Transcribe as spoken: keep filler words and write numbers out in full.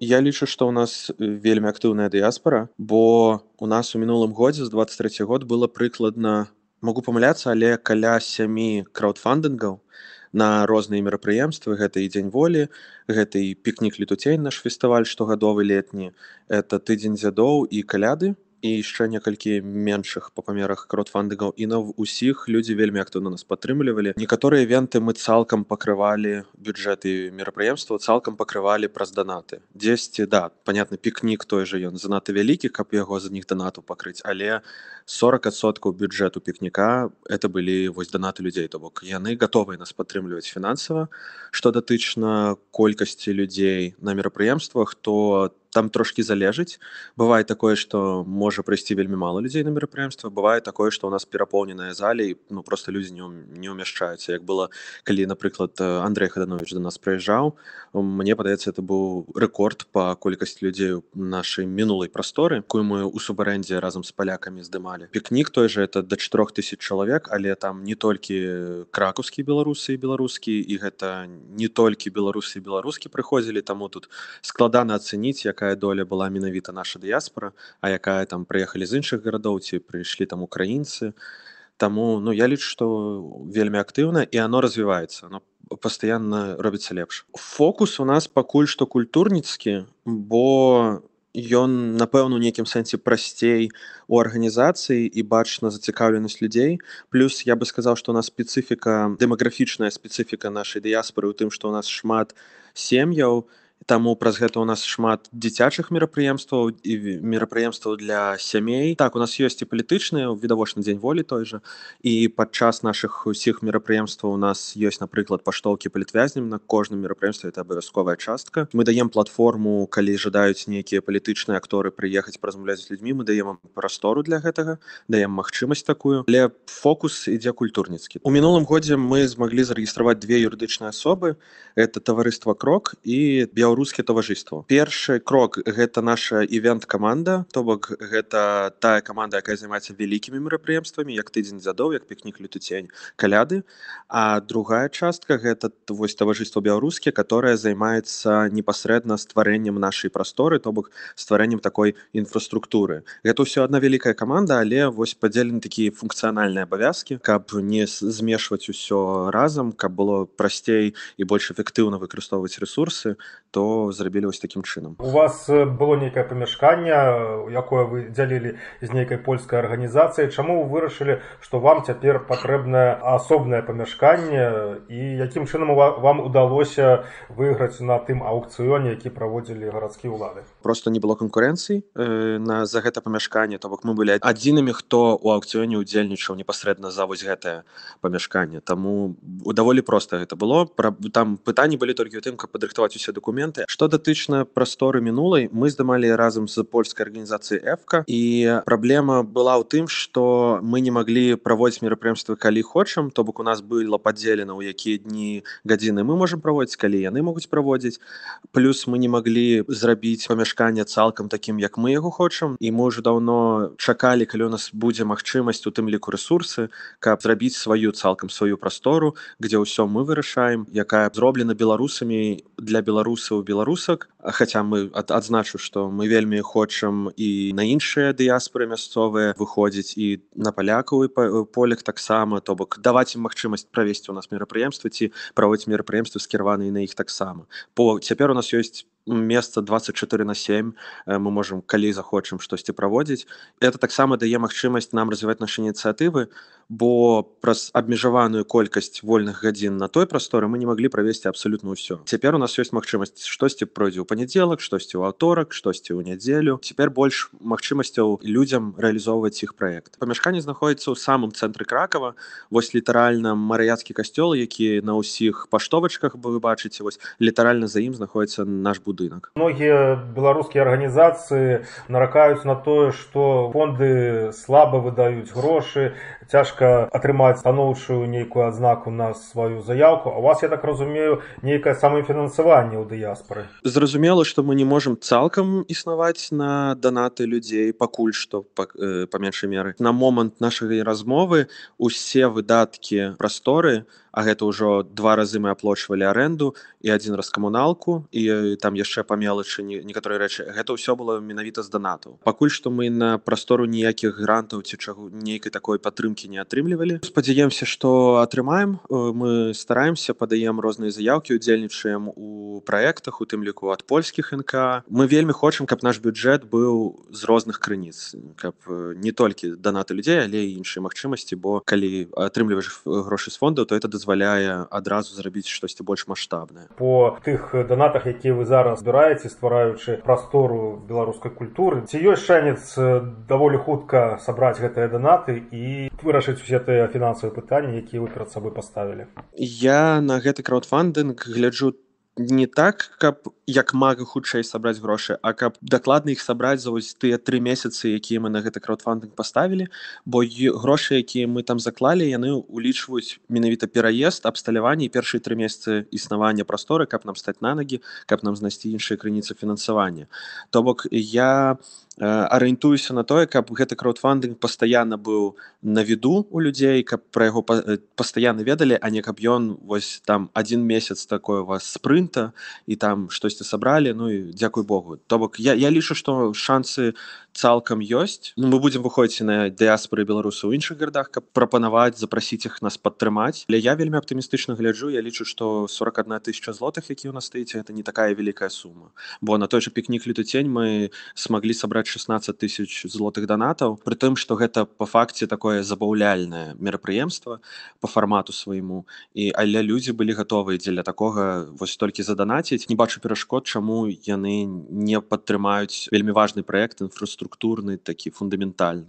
Я лічу, што ў нас э, вельмі актыўная дыяспара, бо у нас у мінулым годзе з двадцать трэці год было прыкладна, магу памыляцца, але каля сямі краўдфандынгаў на розныя мерапрыемствы. Гэта і дзень волі, гэта і пікнік летуцень, наш фестываль штогадовы летні, это тыдзень дзядоў і каляды, і яшчэ некалькі меншых па памерах краўдфандынгаў, і на ўсіх людзі вельмі актыўна нас падтрымлівалі. Некаторыя івенты мы цалкам пакрывалі, бюджэты мерапрыемства цалкам пакрывалі праз данаты. Дзесьці, да, панятна, пікнік той жа, ён занадта вялікі, каб яго з них данату пакрыць, але сорок адсоткаў бюджэту пікніка это былі вось данаты людзей, то бок яны гатовыя нас падтрымліваць фінансава. Што датычна колькасці людзей на мерапрыемствах, то там трошкі залежыць. Бывае такое, што можа прыйсці вельмі мала людзей на мерапрыемства, бывае такое, што ў нас перапоўненая залі і ну проста людзі не, ўм- не ўмяшчаюцца. Як было, калі, напрыклад, э, Андрэй Хаданович да нас прыязджаў, мне падаецца, это быў рэкорд па колькасці людзей у нашай мінулай прасторы, якую мы ў субарэндзе разам з палякамі здымалі. Пікнік той жа это да чатырох тысяч чалавек, але там не толькі кракаўскія беларусы і беларускі, і гэта не толькі беларусы і беларускі прыходзілі, таму тут складана ацэніць, якая доля была менавіта наша дыяспара, а якая там прыехалі з іншых гарадоў, ці прыйшлі там украінцы. Таму ну, я лічу, што вельмі актыўна, і оно развіваецца, оно пастаянна робіцца лепш. Фокус у нас пакуль што культурніцкі, бо ён, напэўна, у нейкім сэнсе прасцей у арганізацыі і бачна зацікаўленасць людзей. Плюс я бы сказаў, што у нас спецыфіка, дэмаграфічная спецыфіка нашай дыяспары ў тым, што у нас шмат сем'яў, таму праз гэта ў нас шмат дзіцячых мерапрыемстваў і ві- мерапрыемстваў для сямей. Так, у нас ёсць і палітычныя, відавочна дзень волі той жа, і падчас нашых усіх мерапрыемстваў у нас ёсць, напрыклад, паштоўкі палітвязням на кожным мерапрыемстве, это абавязковая частка. Мы даем платформу, калі жадаюць нейкія палітычныя акторы прыехаць паразмаўляць з людзьмі, мы даем ім прастору для гэтага, даем магчымасць такую, але фокус ідзе культурніцкі. У мінулым годзе мы змаглі зарэгістраваць две юрыдычныя асобы, это таварыства крок і беларускія таварыства. Першы крок гэта наша івент-каманда, то бок гэта тая каманда, якая займаецца вялікімі мерапрыемствамі, як тыдзень дзядоў, як пікнік летуцень, каляды. А другая частка гэта т- вось таварыства беларускія, которое займаецца непасрэдна стварэннем нашай прасторы, то бок стварэннем такой інфраструктуры. Гэта ўсё адна вялікая каманда, але вось падзелены такія функцыянальныя абавязкі, каб не с- змешваць усё разам, каб было прасцей і больш эфектыўна выкарыстоўваць ресурсы, то зрабілі вось такім чынам. У вас э, было нейкае памяшканне, э, якое вы дзялілі з нейкай польскай арганізацыяй. Чаму вы вырашылі, што вам цяпер патрэбнае асобнае памяшканне і якім чынам у ва- вам удалося выйграць на тым аўкцыёне, які праводзілі гарадскія ўлады? Просто не было канкурэнцыі э, на за гэта памяшканне, то бок мы былі адзінымі, хто ў аўкцыёне ўдзельнічаў непасрэдна за вось гэтае памяшканне. Таму даволі проста гэта было. Пра- Там пытанні былі толькі ў тым, каб падрыхтаваць усе дакументы. Што датычна прасторы мінулай, мы здымалі разам з польскай арганізацыяй эфка, і праблема была ў тым, што мы не маглі праводзіць мерапрыемствы калі хочам, то бок у нас было падзелена, у якія дні гадзіны мы можам праводзіць, калі яны могуць праводзіць. Плюс мы не маглі зрабіць памяшканне цалкам такім, як мы яго хочам, і мы ўжо даўно чакалі, калі у нас будзе магчымасць, у тым ліку ресурсы, каб зрабіць сваю цалкам сваю прастору, дзе ўсё мы вырашаем, якая зроблена беларусамі для беларусаў беларусак. А хаця мы ад, адзначу, што мы вельмі хочам і на іншыя дыяспоры мясцовыя выходзіць, і на палякаў і па- поляк таксама, то бок даваць ім магчымасць правесці у нас мерапрыемствы ці праводзіць мерапрыемствы скіраваныя на іх таксама. Бо цяпер у нас ёсць месца двадцать чатыры на сем, э, мы можам калі захочам штосьці праводзіць. Это таксама дае магчымасць нам развіваць нашы ініцыятывы, бо праз абмежаваную колькасць вольных гадзін на той прасторы мы не маглі правесці абсалютна ўсё. Цяпер у нас ёсць магчымасць штосьці пройдзе ў панядзелак, штосьці ў аўторак, штосьці ў нядзелю. Цяпер больш магчымасцяў людзям рэалізоўваць іх праект. Памяшканне знаходіцца ў самым цэнтры Кракава, вось літаральна марыяцкі касцёл, які на ўсіх паштовачках вы бачыце, вось літаральна за ім знаходіцца наш будынак. Многія беларускія арганізацыі наракаюць на тое, што фонды слаба выдаюць грошы, цяжка атрымаць станоўчую нейкую адзнаку на сваю заяўку. А у вас, я так разумею, нейкае самафінансаванне ў дыяспары. Зразумела, што мы не можам цалкам існаваць на данаты людзей, пакуль што па, э, па меншай меры. На момант нашай размовы усе выдаткі прасторы, а гэта ўжо два разы мы аплочвалі арэнду і адзін раз камуналку, і э, там яшчэ па мелачы не- некаторыя рэчы, гэта ўсё было менавіта з данатаў. Пакуль што мы на прастору ніякіх грантаў ці чаго нейкай такой падтрымкі не атрымлівалі. Спадзяемся, што атрымаем. Э, Мы стараемся, падаем розныя заяўкі, удзельнічаем у праектах, у тым ліку ад польскіх эн ка. Мы вельмі хочам, каб наш бюджэт быў з розных крыніц, каб э, не толькі данаты людзей, але і іншыя магчымасці, бо калі атрымліваеш э, грошы з фондаў, то это дазваляе адразу зрабіць штосьці больш маштабнае. По тых донатах, якія вы зараз збіраеце, ствараючы прастору беларускай культуры, ці ёсць шанец э, даволі хутка сабраць гэтыя донаты і вырашыць усе тыя фінансавыя пытанні, якія вы перад сабой паставілі? Я на гэты краудфандынг гляджу не так, каб як мага хутчэй сабраць грошы, а каб дакладна іх сабраць за вось тыя тры месяцы, якія мы на гэты краудфандынг паставілі, бо й- грошы, якія мы там заклалі, яны улічваюць менавіта пераезд, абсталяванне і першыя тры месяцы існавання прасторы, каб нам стаць на ногі, каб нам знайсці іншыя крыніцы фінансавання. То бок я э, арыентуюся на тое, каб гэты краудфандынг пастаянна быў на віду у людзей, каб пра яго па- э, пастаянна ведалі, а не каб ён вось там адзін месяц такой у вас спрынта і там штосьці сабралі, ну і дзякуй Богу. То бок я, я лічу, што шансы цалкам ёсць. Ну, мы будзем выходзіць на дыяспоры беларусаў у іншых гарадах, каб прапанаваць, запрасіць іх нас падтрымаць. Але я вельмі аптымістычна гляджу, я лічу, што сорок одна тысяча злотых, які ў нас стаіць, гэта не такая вялікая сума. Бо на той жа пікнік лютыцень мы смаглі сабраць шестнадцать тысяч злотых данатаў, пры тым, што гэта па факце такое забаўляльнае мерапрыемства па фармату свайму. І але людзі былі гатовыя дзеля такога вось толькі заданаціць. Не бачу перашкод, чаму яны не падтрымаюць вельмі важны праект, інфраструктурны, такі фундаментальны.